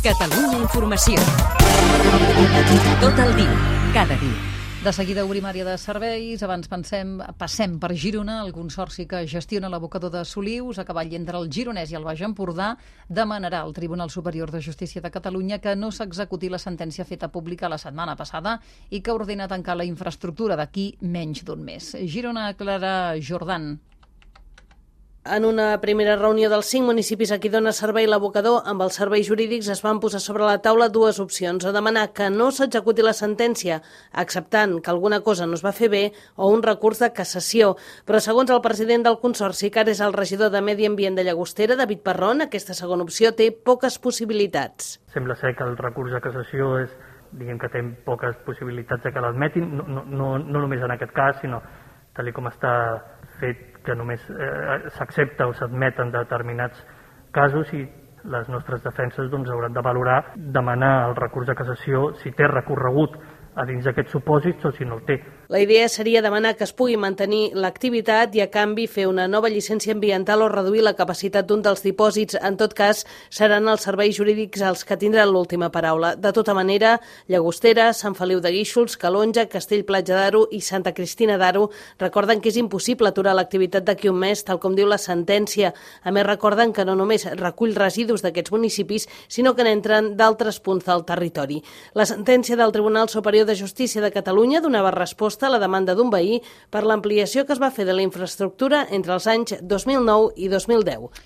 Catalunya Informació. Tot el dia, cada dia. De seguida obrim àrea de serveis. Abans passem per Girona. El consorci que gestiona l'abocador de Solius, a cavall entre el Gironès i el Baix Empordà, demanarà al Tribunal Superior de Justícia de Catalunya que no s'executi la sentència feta pública la setmana passada i que ordena tancar la infraestructura d'aquí menys d'un mes. Girona, Clara Jordan. En una primera reunió dels 5 municipis a qui dona servei l'abocador, amb els serveis jurídics es van posar sobre la taula dues opcions: o demanar que no s'executi la sentència, acceptant que alguna cosa no es va fer bé, o un recurs de cassació. Però segons el president del consorci, que ara és el regidor de Medi Ambient de Llagostera, David Parrón, aquesta segona opció té poques possibilitats. Sembla ser que el recurs de cassació que té poques possibilitats de que l'admetin, no només en aquest cas, sinó tal com està fet, que només s'accepta o s'admeten determinats casos, i les nostres defenses hauran de valorar, demanar el recurs de cassació si té recorregut a dins d'aquests supòsits o si no el té. La idea seria demanar que es pugui mantenir l'activitat i, a canvi, fer una nova llicència ambiental o reduir la capacitat d'un dels dipòsits. En tot cas, seran els serveis jurídics els que tindran l'última paraula. De tota manera, Llagostera, Sant Feliu de Guíxols, Calonja, Castell-Platja d'Aro i Santa Cristina d'Aro recorden que és impossible aturar l'activitat d'aquí un mes, tal com diu la sentència. A més, recorden que no només recull residus d'aquests municipis, sinó que n'entren d'altres punts del territori. La sentència del Tribunal Superior de Justícia de Catalunya donava resposta a la demanda d'un veí per l'ampliació que es va fer de la infraestructura entre els anys 2009 i 2010.